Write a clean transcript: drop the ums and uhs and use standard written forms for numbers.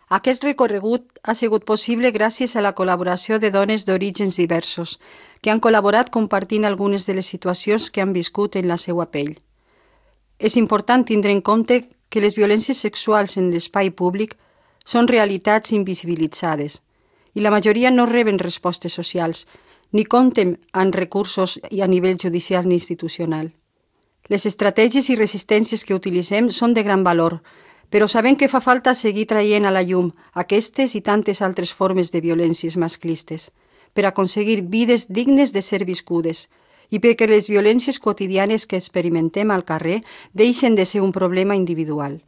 Aquest recorregut ha sigut possible gràcies a la col·laboració de dones d'orígens diversos, que han col·laborat compartint algunes de les situacions que han viscut en la seva pell. És important tindre en compte que les violències sexuals en l'espai públic són realitats invisibilitzades i la majoria no reben respostes socials ni compten amb recursos a nivell judicial ni institucional. Les estratègies i resistències que utilitzem són de gran valor, però sabem que fa falta seguir traient a la llum aquestes i tantes altres formes de violències masclistes per aconseguir vides dignes de ser viscudes i perquè les violències quotidianes que experimentem al carrer deixen de ser un problema individual.